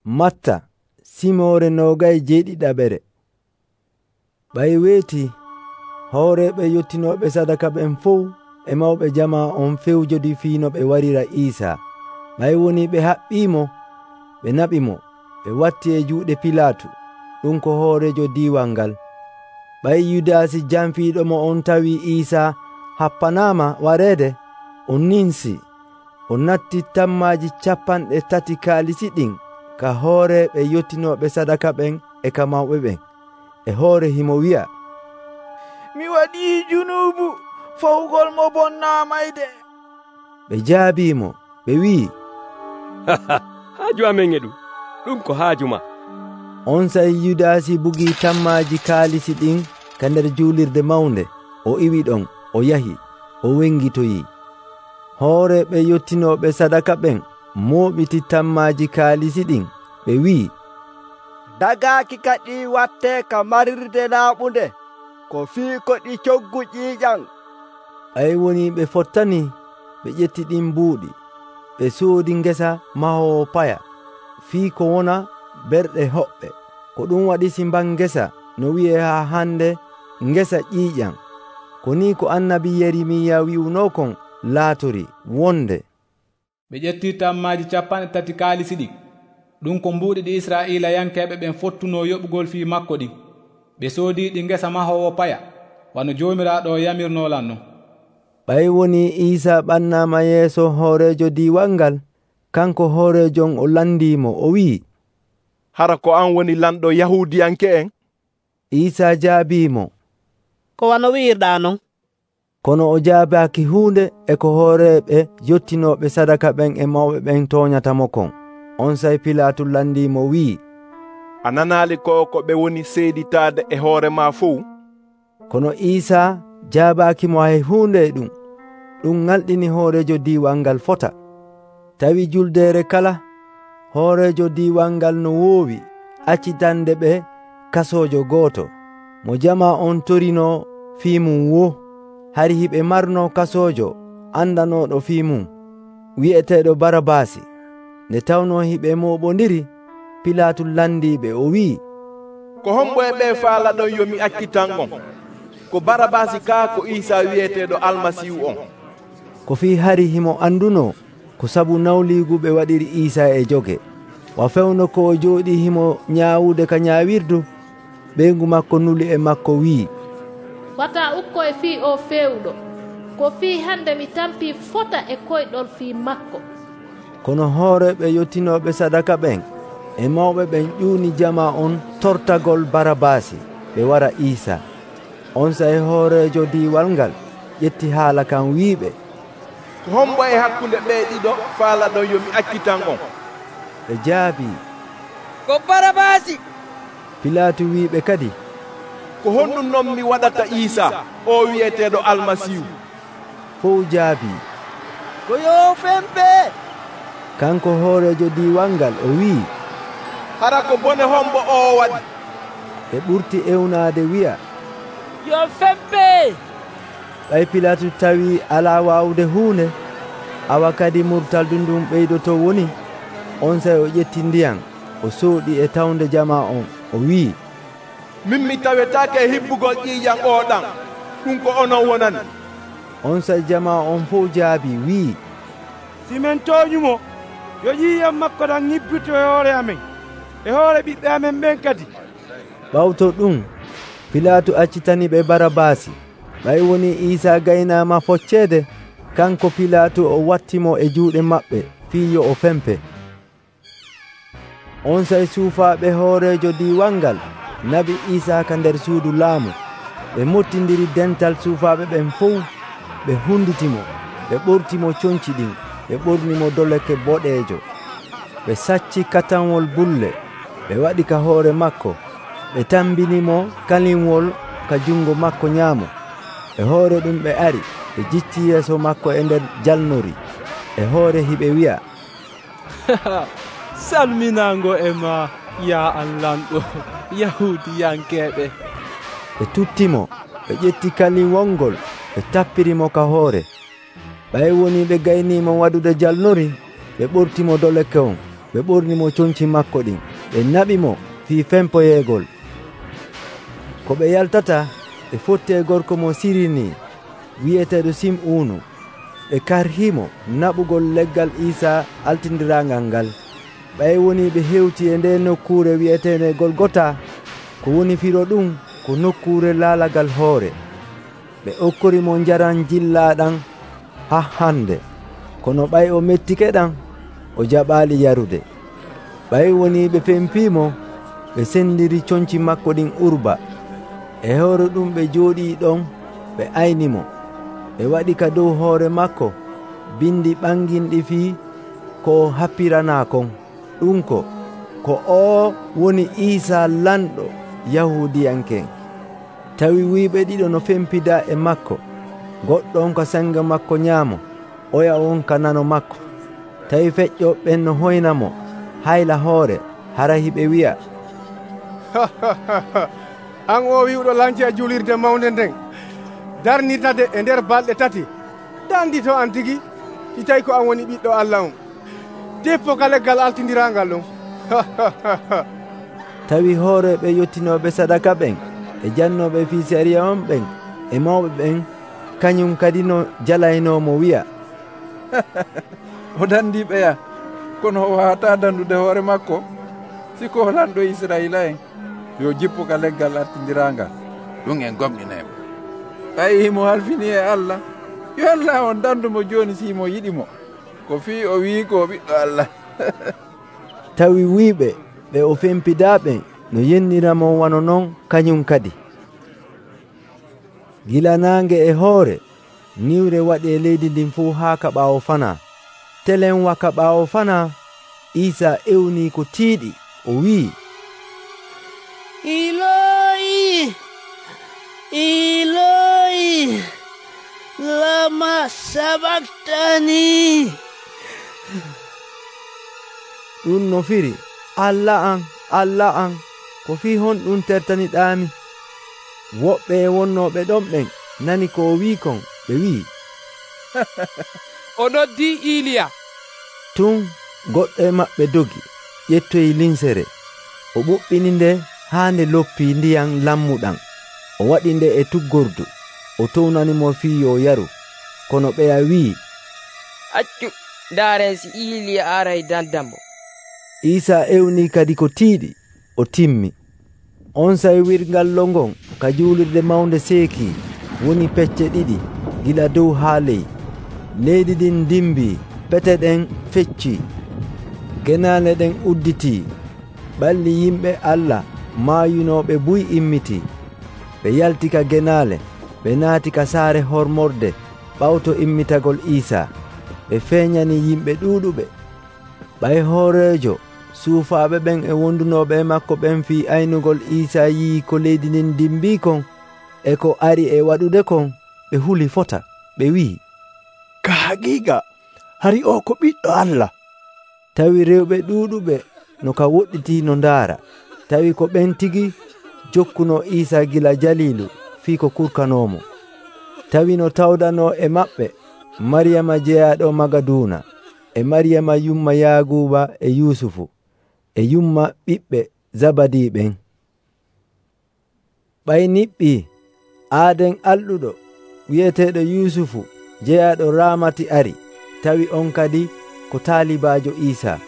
Matta simoore 27. Ɓay weeti hooreeɓe yottinooɓe sadaka ɓen fuu e mawɓe jamaa on fewjodi fii no ɓe warira Iisaa. Ɓay woni ɓe haɓɓiimo, ɓe naɓimo, ɓe watti e juuɗe Pilaatu, ɗum ko hoorejo diiwal ngal. Ɓay Yudaasi jamfiiɗo mo on tawii Iisaa happanaama wareede, o ninsi, o natti tammaaji 30 kaalisi ɗin ka hooreeɓe yottinooɓe sadaka ɓen e ka mawɓe ɓen. E hoore himo wi'a, mi waɗii junubu fawgol mo bonnaamayde. Ɓe jaabiimo, ɓe wi'i, haaju amen e ɗum ko haaju ma. On sa'ii Yudaasi bugii tammaaji kaalisi ɗin ka nder juulirde mawnde, o iwi ɗon, o yahi, o wengitoyii. Hooreeɓe yottinooɓe sadaka ɓen mooɓiti tammaaji kaalisi ɗin, ɓe wi'i, dagaaki ka ɗi wattee ka marirde laaɓunde, ko fii ko ɗi coggu ƴiiƴam. Ɓay woni ɓe fottani, ɓe ƴetti ɗin buuɗi, ɓe soodi ngesa mahoowo paya, fii ko wona berɗe hoɓɓe. Ko ɗum waɗi simban ngesa no wi'ee haa hande ngesa ƴiiƴam. Ko ni ko annabi Yeremiya wi'unookon laatori wonde. Ɓe ƴetti tammaaji 30 kaalisi ɗin, ɗum ko mbuuɗi ɗi Israa'iilayankeeɓe ɓen fottunoo yoɓugol fii makko ɗin. Ɓe soodii ɗi ngesa mahoowo paya, wano Joomiraaɗo o yamirnoolan non. Ɓay woni Iisaa ɓannaama yeeso hooreejo diiwal ngal. Kanko hooreejon o landiimo, o wi'i, hara ko an woni lamɗo Yahuudiyanke'en? Iisaa jaabiimo, ko wano wi'irɗaa non. Kono o jaabaaki huunde e ko hooreeɓe yottinooɓe sadaka ɓen e mawɓe ɓen tooñatamo kon. On sey Pilaatu landiimo wi'i, a nanaali ko ɓe woni seeditaade e hoore maa fuu? Kono Iisaa jaabaakimo hay huunde e ɗum. Ɗum ŋalɗini hooreejo diiwal ngal fota. Tawi juldeere kala, hooreejo diiwal ngal no woowi accitande ɓe kasoojo gooto, mo jamaa on torinoo fii mum wo, hari hiɓe marnoo kasoojo andanooɗo fii mum, wi'eteeɗo Barabaasi. Nde tawnoo hiɓe mooɓondiri, Pilaatu landiiɓe, o wi'i, ko hombo e ɓe faalaɗon yo mi accitan on? Ko Barabaasi kaa ko Iisaa wi'eteeɗo Almasiihu on? Ko fii hari himo andunoo ko sabu nawliigu ɓe waɗiri Iisaa e joge. Wa fewno ko o jooɗii himo nyaawude ka nyaawirdu, ɓeyngu makko nuli e makko wi'i, wata ukko e fii o feewɗo, ko fii hande mi tampii fota e koyɗol fii makko. Kono hooreeɓe yottinooɓe sadaka ɓen e mawɓe ɓen ƴuuni jamaa on tortagol Barabaasi ɓe wara Iisaa. On sey hooreejo diiwal ngal ƴetti haala kan wiiɓe, ko hombo e hakkunde ɓee ɗiɗo faalaɗon yo mi accitan on? Ɓe jaabii, ko Barabaasi. Pilaatu wiiɓe kadi, ko honɗum noon mi waɗata Iisaa o wi'eteeɗo Almasiihu? Fow jaabii, ko yo fempe. Kanko hooreejo diiwal ngal o wi'i, hara ko bone hombo o waɗi? Ɓe ɓurti ewnaade wi'a, yo fempe. Ɓay Pilaatu tawi alaa waawde huunde, awa kadi murtaldu ndun ɓeydoto woni. On sey o ƴetti ndiyam, o sooɗi e tawnde jamaa on, o wi'i, min mi tawetaake e hibbugol ƴiiƴam ooɗan, ɗum ko onon wonani. On sey jamaa on fof jaabi wi'i, si men tooñumo, yo ƴiiƴam makko ɗan ñibbito e hoore amen e hoore ɓiɓɓe amen ɓen kadi. ɓawto ɗum Pilaatu accitani ɓe Barabaasi. Ɓay woni Iisaa gaynaama focceede, kanko Pilaatu o wattimo e juuɗe maɓɓe fii yo o fempe. On sey suufaaɓe hooreejo diiwal ngal nabi Iisaa ka nder suudu laamu. Ɓe mottindiri dental suufaaɓe ɓen fof, ɓe hunditimo, ɓe ɓortimo coñci ɗin, ɓe ɓornimo doleke boɗeejo. Ɓe sacci katanwol bulle, ɓe waɗi ka hoore makko, ɓe tambinimo kalinwol ka jungo makko nyaamo. E hoore ɗum ɓe ari, ɓe jicci yeeso makko e nder jalnori. E hoore hiɓe wi'a, salminaango e ma, yaa Allanɗo Yahuudiyankeeɓe. Ɓe tuttimo, ɓe ƴetti kaliwol ngol, ɓe tappirimo ka hoore. Ɓay woni ɓe gaynimo waɗude jalnori, ɓe ɓortimo doleke on, ɓe ɓornimo conci makko ɗin, ɓe naɓimo fii fempoyeegol. Ko ɓe yaltata ɓe fotti e gorko mo Sirini wi'eteeɗo Sim'uunu. ɓe karhimo naɓugol leggal Iisaa altindiraangal ngal. ɓay woni ɓe hewti e nde nokkuure wi'eteende Golgota, ko woni firo ɗum ko nokkuure laalagal hoore. ɓe okkorimo njaram jillaaɗam haa hande, kono ɓay o mettike ɗam o jaɓaali yarude. ɓay woni ɓe fempiimo, ɓe sendiri conci makko ɗin urba. e hoore ɗum ɓe jooɗii ɗon ɓe aynimo. ɓe waɗi ka dow hoore makko bindi ɓanginɗi fii ko o happiranaa kon. ɗum ko o woni Iisaa lanɗo Yahuudiyanken. Tawi wuyɓe ɗiɗo no fempida e makko, goɗɗo on ka sanga makko nyaamo, oya on ka nano makko. Tawi feƴƴoɓen no hoynamo hayla hoore, hara hiɓe wi'a, an o wi'uɗo lanci a julirde mawnde nden, darnitade e nder balɗe tati, dandito an tigi si tawi ko an woni ɓiɗɗo Allah on. Deppo ka leggal altindiraangal ɗum. Tawi hooreɓe yottinoɓe sadaka ɓen e jannoɓe fii sariya on ɓen e mawɓe ɓen kañum kadi no jalaynomo wi'a, o dandiɓeya, kono o wawata dandude hoore makko. Siko lanɗo Israila en, yo jippo ka leggal artindiraangal, ɗum en gomɗinemo. ɓay himo halfini e Allah, yo Allah on dandumo joni simo yiɗimo, ko fii o wi ko ɓiɗɗo Allah. Tawi wiiɓe ɓe o fempidaɓe no yenniramo wano noon kañum kadi. Gila naange e hoore niwre waɗi e leydi ndin fuu haa ka ɓaawo fana. Telen waka ɓaawo fana, Iisaa ewni ko tiiɗi, o wi'i, Iloyi, Iloyi, lama sabaktani. ɗum no firi, Allah an, Allah an, ko fii honɗum tertaniɗaami. Woɓɓe e wonnooɓe ɗon ɓen nani ko o wi'i kon, ɓe wi'i, o noddi Iliya. Tun goɗɗo e maɓɓe dogi, ƴettoyi linsere, o ɓuɓɓini nde haa nde loppii ndiyam lammuɗam, o waɗi nde e tuggordu, o townanimo fii yo yaru. Kono ɓeya wi'i, accu, ndaaren si Iliya aray dandamo. Iisaa ewni kadi ko tiiɗi, o timmi. On saywirgal longon ka juulirde mawnde seeki woni pecce ɗiɗi gila dow haa ley. Leydi ɗin dimbii, pete ɗen feccii, genaale ɗen udditii. Ɓalli yimɓe Allah maayunooɓe buy immitii. ɓe yalti ka genaale, ɓe naati ka saare hormorde ɓawto immitagol Iisaa. ɓe feeñani yimɓe ɗuuɗuɓe. ɓay hooreejo suufaaɓe ɓen e wondunooɓe e makko ɓen fii aynugol Iisaa yii ko leydi ndin dimbii kon e ko ari e waɗude kon, ɓe huli fota, ɓe wi'i, Ka haqiiqa hari o ko ɓiɗɗo Allah. Tawi rewɓe ɗuuɗuɓe no ka woɗɗitii no ndaara. Tawi ko ɓen tigi jokkuno Iisaa gila Jaliilu fii ko kurkanoomo. Tawi no tawdanoo e maɓɓe Mariyama jeyaaɗo Magaduuna e Mariyama yumma Yaaguuba e Yuusufu e yumma ɓiɓɓe Zabadi ɓen. ɓay niɓɓii aaden alɗuɗo wi'eteeɗo Yuusufu jeyaaɗo Raamati ari, tawi on kadi ko taalibaajo Iisaa.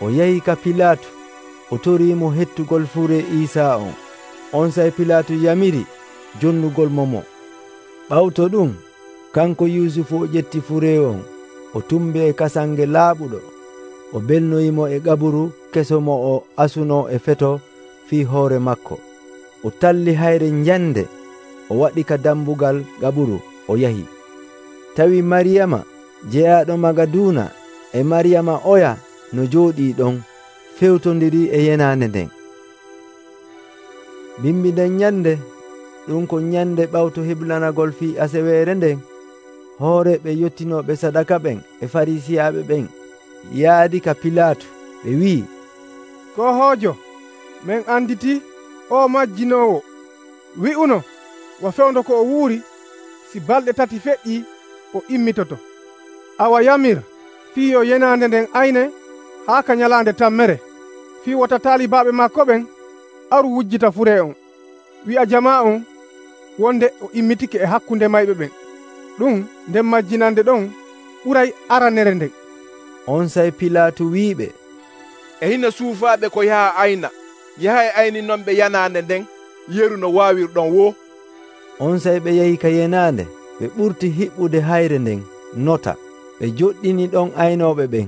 O yahi ka Pilaatu, o toriimo hettugol fure Iisaa on. On say Pilaatu yamiri jonnugol mo. ɓawto ɗum, kanko Yuusufu o ƴetti fure on, o tumbi e kasange laaɓuɗo, o belnoyimo e gaburu keso mo o asuno e feto fii hoore makko. O talli hayre njande, o waɗi ka dambugal gaburu, o yahi. Tawi Mariyama jeyaaɗo Magaduuna e Mariyama oya no jooɗii ɗon fewtondiri e yenaande nden. Bimbi nden nyande, ɗum ko nyande ɓawto heblanagol fii aseweere nden, hooreɓe yottinooɓe sadaka ɓen e Farisiyaaɓe ɓen yaadi ka Pilaatu, ɓe wi'i, Ko hoojo, men anditi o majjinoowo. Wi'uno wa fewndo ko o wuuri, si balɗe tati feƴƴii o immitoto. Awa yamir fii yo yenaande nden ayne haa ka nyalaande tammere fii wota taalibaaɓe maako ɓen aru wujjita furee on, wi'a jamaa on wonde o immitike e hakkunde mayɓe ɓen. ɗum nden majjinande ɗon ɓuray aranere nden. On sey Pilaatu wi'iɓe, e hina suufaaɓe ko yaha ayna, yahay ayninon ɓe yanaande nden yeru no waawirɗon wo. On sey ɓe yahi ka yenaande, ɓe ɓurti hiɓɓude hayre nden nota, ɓe joɗɗini ɗon aynooɓe ɓen.